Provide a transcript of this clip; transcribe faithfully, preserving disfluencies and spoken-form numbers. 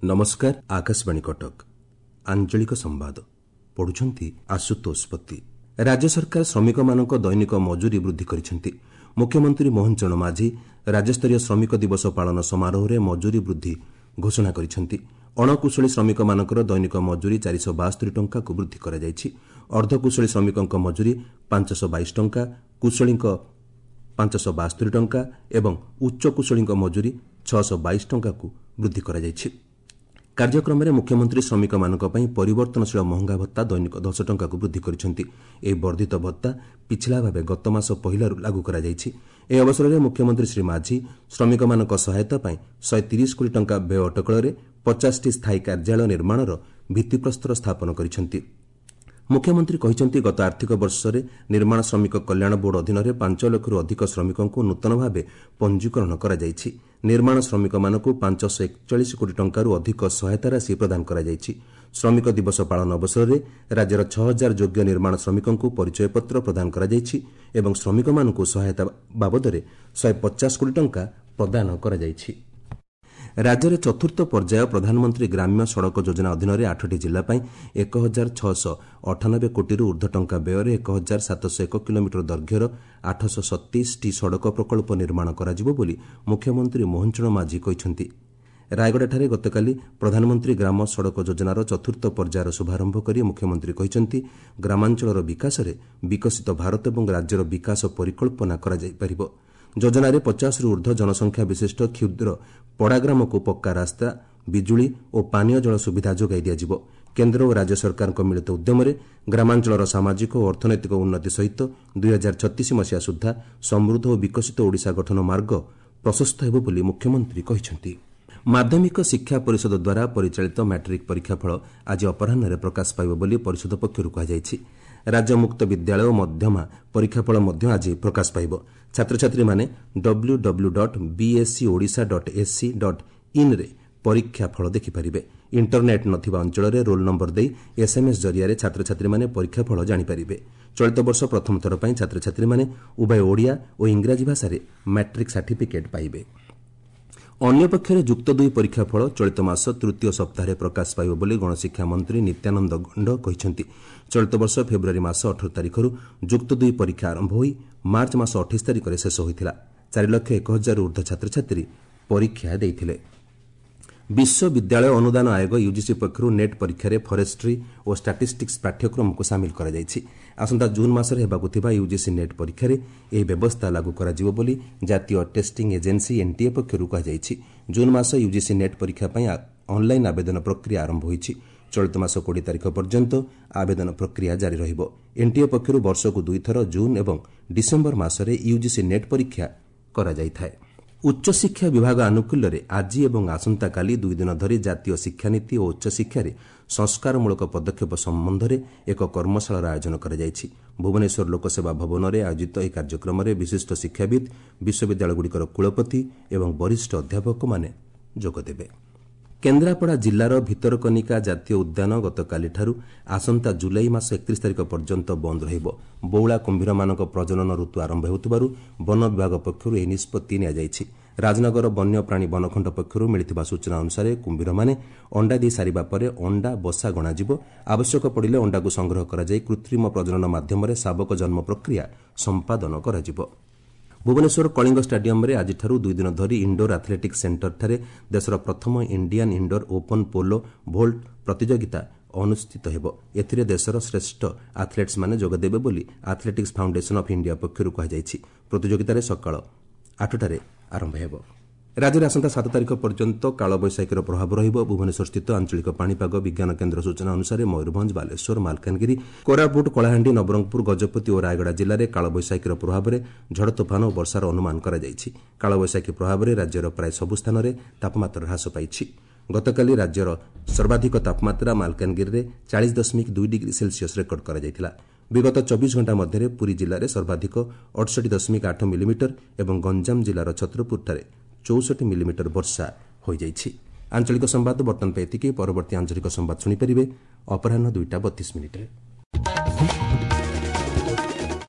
ନମସ୍କାର, ଆକାଶବାଣୀ କଟକ। ଆଞ୍ଚଳିକ ସମ୍ବାଦ ପଢୁଛନ୍ତି ଆଶୁତୋଷ ପତି। ରାଜ୍ୟ ସରକାର ଶ୍ରମିକମାନଙ୍କ ଦୈନିକ ମଜୁରୀ ବୃଦ୍ଧି କରିଛନ୍ତି। ମୁଖ୍ୟମନ୍ତ୍ରୀ ମୋହନ ଚରଣ ମାଝୀ ରାଜ୍ୟସ୍ତରୀୟ ଶ୍ରମିକ ଦିବସ ପାଳନ ସମାରୋହରେ ମଜୁରୀ ବୃଦ୍ଧି ଘୋଷଣା କରିଛନ୍ତି। ଅଣକୁଶଳୀ ଶ୍ରମିକମାନଙ୍କର ଦୈନିକ ମଜୁରୀ ଚାରିଶହ ବାସ୍ତରି ଟଙ୍କାକୁ ବୃଦ୍ଧି କରାଯାଇଛି। ଅର୍ଦ୍ଧକୁଶଳୀ ଶ୍ରମିକଙ୍କ ମଜୁରୀ ପାଞ୍ଚଶହ ବାଇଶ ଟଙ୍କା, କୁଶଳୀଙ୍କ ପାଞ୍ଚଶହ ବାସ୍ତରି ଟଙ୍କା ଏବଂ ଉଚ୍ଚ କୁଶଳୀଙ୍କ ମଜୁରୀ ଛଅଶହ ବାଇଶ ଟଙ୍କାକୁ ବୃଦ୍ଧି କରାଯାଇଛି। କାର୍ଯ୍ୟକ୍ରମରେ ମୁଖ୍ୟମନ୍ତ୍ରୀ ଶ୍ରମିକମାନଙ୍କ ପାଇଁ ପରିବର୍ତ୍ତନଶୀଳ ମହଙ୍ଗା ଭତ୍ତା ଦୈନିକ ଦଶ ଟଙ୍କାକୁ ବୃଦ୍ଧି କରିଛନ୍ତି। ଏହି ବର୍ଦ୍ଧିତ ଭତ୍ତା ପିଛିଲା ଭାବେ ଗତମାସ ପହିଲାରୁ ଲାଗୁ କରାଯାଇଛି। ଏହି ଅବସରରେ ମୁଖ୍ୟମନ୍ତ୍ରୀ ଶ୍ରୀ ମାଝୀ ଶ୍ରମିକମାନଙ୍କ ସହାୟତା ପାଇଁ ଶହେ ତିରିଶ କୋଟି ଟଙ୍କା ବ୍ୟୟ ଅଟକଳରେ ପଚାଶଟି ସ୍ଥାୟୀ କାର୍ଯ୍ୟାଳୟ ନିର୍ମାଣର ଭିତ୍ତିପ୍ରସ୍ତର ସ୍ଥାପନ କରିଛନ୍ତି। ମୁଖ୍ୟମନ୍ତ୍ରୀ କହିଛନ୍ତି, ଗତ ଆର୍ଥିକ ବର୍ଷରେ ନିର୍ମାଣ ଶ୍ରମିକ କଲ୍ୟାଣ ବୋର୍ଡ ଅଧୀନରେ ପାଞ୍ଚ ଲକ୍ଷରୁ ଅଧିକ ଶ୍ରମିକଙ୍କୁ ନୂତନ ଭାବେ ପଞ୍ଜୀକରଣ କରାଯାଇଛି। ନିର୍ମାଣ ଶ୍ରମିକମାନଙ୍କୁ ପାଞ୍ଚଶହ ଏକଚାଳିଶ କୋଟି ଟଙ୍କାରୁ ଅଧିକ ସହାୟତା ରାଶି ପ୍ରଦାନ କରାଯାଇଛି। ଶ୍ରମିକ ଦିବସ ପାଳନ ଅବସରରେ ରାଜ୍ୟର ଛଅ ହଜାର ଯୋଗ୍ୟ ନିର୍ମାଣ ଶ୍ରମିକଙ୍କୁ ପରିଚୟପତ୍ର ପ୍ରଦାନ କରାଯାଇଛି ଏବଂ ଶ୍ରମିକମାନଙ୍କୁ ସହାୟତା ବାବଦରେ ଶହେ ପଚାଶ କୋଟି ଟଙ୍କା ପ୍ରଦାନ କରାଯାଇଛି। ରାଜ୍ୟରେ ଚତୁର୍ଥ ପର୍ଯ୍ୟାୟ ପ୍ରଧାନମନ୍ତ୍ରୀ ଗ୍ରାମ୍ୟ ସଡ଼କ ଯୋଜନା ଅଧୀନରେ ଆଠଟି ଜିଲ୍ଲା ପାଇଁ ଏକ ହଜାର ଛଅଶହ ଅଠାନବେ କୋଟିରୁ ଊର୍ଦ୍ଧ୍ୱ ଟଙ୍କା ବ୍ୟୟରେ ଏକ ହଜାର ସାତଶହ ଏକ କିଲୋମିଟର ଦୈର୍ଘ୍ୟର ଆଠଶହ ସତେଇଶଟି ସଡ଼କ ପ୍ରକଳ୍ପ ନିର୍ମାଣ କରାଯିବ ବୋଲି ମୁଖ୍ୟମନ୍ତ୍ରୀ ମୋହନ ଚରଣ ମାଝୀ କହିଛନ୍ତି। ରାୟଗଡ଼ାଠାରେ ଗତକାଲି ପ୍ରଧାନମନ୍ତ୍ରୀ ଗ୍ରାମ ସଡ଼କ ଯୋଜନାର ଚତୁର୍ଥ ପର୍ଯ୍ୟାୟର ଶୁଭାରମ୍ଭ କରି ମୁଖ୍ୟମନ୍ତ୍ରୀ କହିଛନ୍ତି, ଗ୍ରାମାଞ୍ଚଳର ବିକାଶରେ ବିକଶିତ ଭାରତ ଏବଂ ରାଜ୍ୟର ବିକାଶ ପରିକଳ୍ପନା କରାଯାଇପାରିବ। ଯୋଜନାରେ ପଚାଶରୁ ଊର୍ଦ୍ଧ୍ୱ ଜନସଂଖ୍ୟା ବିଶିଷ୍ଟ କ୍ଷୁଦ୍ର ପଡ଼ାଗ୍ରାମକୁ ପକ୍କା ରାସ୍ତା, ବିଜୁଳି ଓ ପାନୀୟ ଜଳ ସୁବିଧା ଯୋଗାଇ ଦିଆଯିବ। କେନ୍ଦ୍ର ଓ ରାଜ୍ୟ ସରକାରଙ୍କ ମିଳିତ ଉଦ୍ୟମରେ ଗ୍ରାମାଞ୍ଚଳର ସାମାଜିକ ଓ ଅର୍ଥନୈତିକ ଉନ୍ନତି ସହିତ ଦୁଇ ହଜାର ଛତିଶ ମସିହା ସୁଦ୍ଧା ସମୃଦ୍ଧ ଓ ବିକଶିତ ଓଡ଼ିଶା ଗଠନ ମାର୍ଗ ପ୍ରଶସ୍ତ ହେବ ବୋଲି ମୁଖ୍ୟମନ୍ତ୍ରୀ କହିଛନ୍ତି। ମାଧ୍ୟମିକ ଶିକ୍ଷା ପରିଷଦ ଦ୍ୱାରା ପରିଚାଳିତ ମାଟ୍ରିକ୍ ପରୀକ୍ଷାଫଳ ଆଜି ଅପରାହ୍ନରେ ପ୍ରକାଶ ପାଇବ ବୋଲି ପରିଷଦ ପକ୍ଷରୁ କୁହାଯାଇଛି। ରାଜ୍ୟ ମୁକ୍ତ ବିଦ୍ୟାଳୟ ଓ ମଧ୍ୟମା ପରୀକ୍ଷାଫଳ ମଧ୍ୟ ଆଜି ପ୍ରକାଶ ପାଇବ। ଛାତ୍ରଛାତ୍ରୀମାନେ W W dot BSE Odisha dot AC dot ଇନ୍ରେ ପରୀକ୍ଷା ଫଳ ଦେଖିପାରିବେ। ଇଣ୍ଟରନେଟ୍ ନଥିବା ଅଞ୍ଚଳରେ ରୋଲ୍ ନମ୍ବର ଦେଇ ଏସ୍ଏମ୍ଏସ୍ ଜରିଆରେ ଛାତ୍ରଛାତ୍ରୀମାନେ ପରୀକ୍ଷାଫଳ ଜାଣିପାରିବେ। ଚଳିତ ବର୍ଷ ପ୍ରଥମ ଥର ପାଇଁ ଛାତ୍ରଛାତ୍ରୀମାନେ ଉଭୟ ଓଡ଼ିଆ ଓ ଇଂରାଜୀ ଭାଷାରେ ମାଟ୍ରିକ୍ ସାର୍ଟିଫିକେଟ୍ ପାଇବେ। ଅନ୍ୟପକ୍ଷରେ ଯୁକ୍ତ ଦୁଇ ପରୀକ୍ଷାଫଳ ଚଳିତ ମାସ ତୃତୀୟ ସପ୍ତାହରେ ପ୍ରକାଶ ପାଇବ ବୋଲି ଗଣଶିକ୍ଷା ମନ୍ତ୍ରୀ ନିତ୍ୟାନନ୍ଦ ଗଣ୍ଡ କହିଛନ୍ତି। ଚଳିତ ବର୍ଷ ଫେବୃଆରୀ ମାସ ଅଠର ତାରିଖରୁ ଯୁକ୍ତ ଦୁଇ ପରୀକ୍ଷା ଆରମ୍ଭ ହୋଇ ମାର୍ଚ୍ଚ ମାସ ଅଠେଇଶ ତାରିଖରେ ଶେଷ ହୋଇଥିଲା। ଚାରି ଲକ୍ଷ ଏକ ହଜାରରୁ ଊର୍ଦ୍ଧ୍ୱ ଛାତ୍ରଛାତ୍ରୀ ପରୀକ୍ଷା ଦେଇଥିଲେ। ବିଶ୍ୱବିଦ୍ୟାଳୟ ଅନୁଦାନ ଆୟୋଗ ୟୁଜିସି ପକ୍ଷରୁ ନେଟ୍ ପରୀକ୍ଷାରେ ଫରେଷ୍ଟ୍ରି ଓ ଷ୍ଟାଟିଷ୍ଟିକ୍ସ ପାଠ୍ୟକ୍ରମକୁ ସାମିଲ କରାଯାଇଛି। ଆସନ୍ତା ଜୁନ୍ ମାସରେ ହେବାକୁ ଥିବା ୟୁଜିସି ନେଟ୍ ପରୀକ୍ଷାରେ ଏହି ବ୍ୟବସ୍ଥା ଲାଗୁ କରାଯିବ ବୋଲି ଜାତୀୟ ଟେଷ୍ଟିଂ ଏଜେନ୍ସି ଏନ୍ଟିଏ ପକ୍ଷରୁ କୁହାଯାଇଛି। ଜୁନ୍ ମାସ ୟୁଜିସି ନେଟ୍ ପରୀକ୍ଷା ପାଇଁ ଅନ୍ଲାଇନ୍ ଆବେଦନ ପ୍ରକ୍ରିୟା ଆରମ୍ଭ ହୋଇଛି। ଚଳିତ ମାସ କୋଡ଼ିଏ ତାରିଖ ପର୍ଯ୍ୟନ୍ତ ଆବେଦନ ପ୍ରକ୍ରିୟା ଜାରି ରହିବ। ଏନ୍ଟିଏ ପକ୍ଷରୁ ବର୍ଷକୁ ଦୁଇଥର ଜୁନ୍ ଏବଂ ଡିସେମ୍ବର ମାସରେ ୟୁଜିସି ନେଟ୍ ପରୀକ୍ଷା କରାଯାଇଥାଏ। ଉଚ୍ଚଶିକ୍ଷା ବିଭାଗ ଆନୁକୂଲ୍ୟରେ ଆଜି ଏବଂ ଆସନ୍ତାକାଲି ଦୁଇ ଦିନ ଧରି ଜାତୀୟ ଶିକ୍ଷାନୀତି ଓ ଉଚ୍ଚଶିକ୍ଷାରେ ସଂସ୍କାରମୂଳକ ପଦକ୍ଷେପ ସମ୍ବନ୍ଧରେ ଏକ କର୍ମଶାଳାର ଆୟୋଜନ କରାଯାଇଛି। ଭୁବନେଶ୍ୱର ଲୋକସେବା ଭବନରେ ଆୟୋଜିତ ଏହି କାର୍ଯ୍ୟକ୍ରମରେ ବିଶିଷ୍ଟ ଶିକ୍ଷାବିତ୍, ବିଶ୍ୱବିଦ୍ୟାଳୟଗୁଡ଼ିକର କୁଳପତି ଏବଂ ବରିଷ୍ଠ ଅଧ୍ୟାପକମାନେ ଯୋଗଦେବେ। କେନ୍ଦ୍ରାପଡ଼ା ଜିଲ୍ଲାର ଭିତରକନିକା ଜାତୀୟ ଉଦ୍ୟାନ ଗତକାଲିଠାରୁ ଆସନ୍ତା ଜୁଲାଇ ମାସ ଏକତିରିଶ ତାରିଖ ପର୍ଯ୍ୟନ୍ତ ବନ୍ଦ ରହିବ। ବଉଳା କୁମ୍ଭୀରମାନଙ୍କ ପ୍ରଜନନ ଋତୁ ଆରମ୍ଭ ହେଉଥିବାରୁ ବନ ବିଭାଗ ପକ୍ଷରୁ ଏହି ନିଷ୍ପତ୍ତି ନିଆଯାଇଛି। ରାଜନଗର ବନ୍ୟପ୍ରାଣୀ ବନଖଣ୍ଡ ପକ୍ଷରୁ ମିଳିଥିବା ସୂଚନା ଅନୁସାରେ କୁମ୍ଭୀରମାନେ ଅଣ୍ଡା ଦେଇ ସାରିବା ପରେ ଅଣ୍ଡା ବସା ଗଣାଯିବ। ଆବଶ୍ୟକ ପଡ଼ିଲେ ଅଣ୍ଡାକୁ ସଂଗ୍ରହ କରାଯାଇ କୃତ୍ରିମ ପ୍ରଜନନ ମାଧ୍ୟମରେ ଶାବକ ଜନ୍ମ ପ୍ରକ୍ରିୟା ସମ୍ପାଦନ କରାଯିବ। ଭୁବନେଶ୍ୱର କଳିଙ୍ଗ ଷ୍ଟାଡିୟମ୍ରେ ଆଜିଠାରୁ ଦୁଇ ଦିନ ଧରି ଇଣ୍ଡୋର ଆଥଲେଟିକ୍ସ ସେଣ୍ଟରଠାରେ ଦେଶର ପ୍ରଥମ Indian indoor open pole vault ପ୍ରତିଯୋଗିତା ଅନୁଷ୍ଠିତ ହେବ। ଏଥିରେ ଦେଶର ଶ୍ରେଷ୍ଠ ଆଥଲେଟ୍ସମାନେ ଯୋଗଦେବେ ବୋଲି ଆଥଲେଟିକ୍ସ ଫାଉଣ୍ଡେସନ୍ ଅଫ୍ ଇଣ୍ଡିଆ ପକ୍ଷରୁ କୁହାଯାଇଛି। ପ୍ରତିଯୋଗିତାରେ ସକାଳ ଆଠଟାରେ ଆରମ୍ଭ ହେବ। ରାଜ୍ୟରେ ଆସନ୍ତା ସାତ ତାରିଖ ପର୍ଯ୍ୟନ୍ତ କାଳବୈଶାଖୀର ପ୍ରଭାବ ରହିବ। ଭୁବନେଶ୍ୱରସ୍ଥିତ ଆଞ୍ଚଳିକ ପାଣିପାଗ ବିଜ୍ଞାନ କେନ୍ଦ୍ର ସୂଚନା ଅନୁସାରେ ମୟୂରଭଞ୍ଜ, ବାଲେଶ୍ୱର, ମାଲକାନଗିରି, କୋରାପୁଟ, କଳାହାଣ୍ଡି, ନବରଙ୍ଗପୁର, ଗଜପତି ଓ ରାୟଗଡ଼ା ଜିଲ୍ଲାରେ କାଳବୈଶାଖୀର ପ୍ରଭାବରେ ଝଡ଼ ତୋଫାନ ଓ ବର୍ଷାର ଅନୁମାନ କରାଯାଇଛି। କାଳବୈଶାଖୀ ପ୍ରଭାବରେ ରାଜ୍ୟର ପ୍ରାୟ ସବୁ ସ୍ଥାନରେ ତାପମାତ୍ରା ହ୍ରାସ ପାଇଛି। ଗତକାଲି ରାଜ୍ୟର ସର୍ବାଧିକ ତାପମାତ୍ରା ମାଲକାନଗିରିରେ ଚାଳିଶ ଦଶମିକ ଦୁଇ ଡିଗ୍ରୀ ସେଲସିୟସ୍ ରେକର୍ଡ କରାଯାଇଥିଲା। ବିଗତ ଚବିଶ ଘଣ୍ଟା ମଧ୍ୟରେ ପୁରୀ ଜିଲ୍ଲାରେ ସର୍ବାଧିକ ଅଠଷଠି ଦଶମିକ ଆଠ ମିଲିମିଟର ଏବଂ ଗଞ୍ଜାମ ଜିଲ୍ଲାର ଛତ୍ରପୁରଠାରେ ଚଉଷଠି ମିଲିମିଟର ବର୍ଷା ହୋଇଯାଇଛି। ଆଞ୍ଚଳିକ ସମ୍ବାଦ ବର୍ତ୍ତମାନ ପାଇଁ ଏତିକି। ପରବର୍ତ୍ତୀ ଆଞ୍ଚଳିକ ସମ୍ବାଦ ଶୁଣିପାରିବେ ଅପରାହ୍ନ ଦୁଇଟା ବତିଶ ମିନିଟ୍ରେ।